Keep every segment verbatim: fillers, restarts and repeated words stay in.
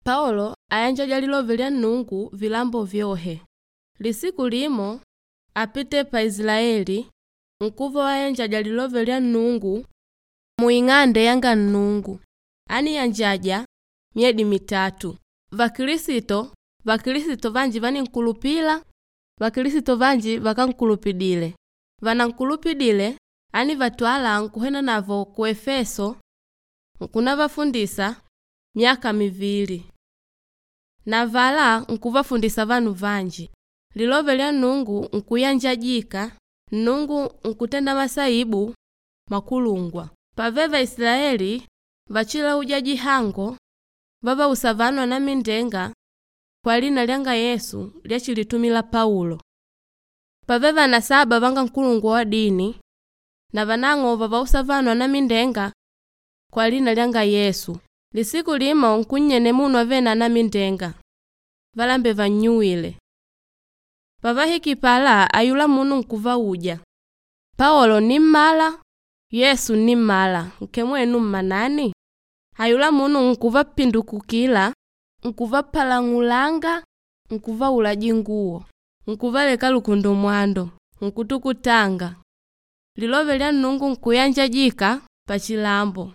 Paulo ayanjaja lilove lya Nnungu vilambo vyohe. Lisiku limo apite pa Isilaeli nkuva wayanjaja lilove lya Nnungu muing'ande yanga Nnungu. Aníyanjaja myedi mitatu. Vakilisito, vakilisito vanji vanínkulupila, vakilisito vanji vakankulupidile. Vanankulupidile anívatwala nkuhenanavo ku Efeso nkunavafundisa myaka mivili. Na avalá nkuvafundisa vanu vanji. Lilove lya Nnungu nkuyanjajika, Nnungu nkutenda masaibu makulungwa. Pave vaisilaeli vachilauja jihango vavausa vanu anamindenga kwalina lyanga Yesu lyachilitumila Paulo. Pave vanasaba vanga nkulungwa wadini na vanang'o vavausa vanu anamindenga kwalina lyanga Yesu. Lisiku limo nkunnyene munu avele na anamindenga, valambe vannyuwile. Pavahikile pala ayulá munu nkuvauja, “Paolo nimmala, Yesu nimmala, nkemwenu mmanani?” Ayulá munu nkuvapindukukila, nkuvapalang'ulanga, nkuvaula dinguwo, nkuvaleka lukundumwando, nkutukutanga. Lilove lya Nnungu nkuyanjajika pachilambo.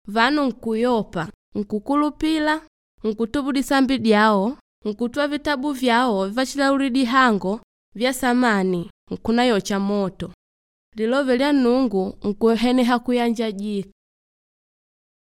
Vanu nkuyopa, nkukulupila, nkutubu disambi dyawo, nkutwa vitabu vyao vyavachilaulila dihango vyasamani nkunayocha moto. Lilove lya Nnungu nkuheneha kuyanjajika.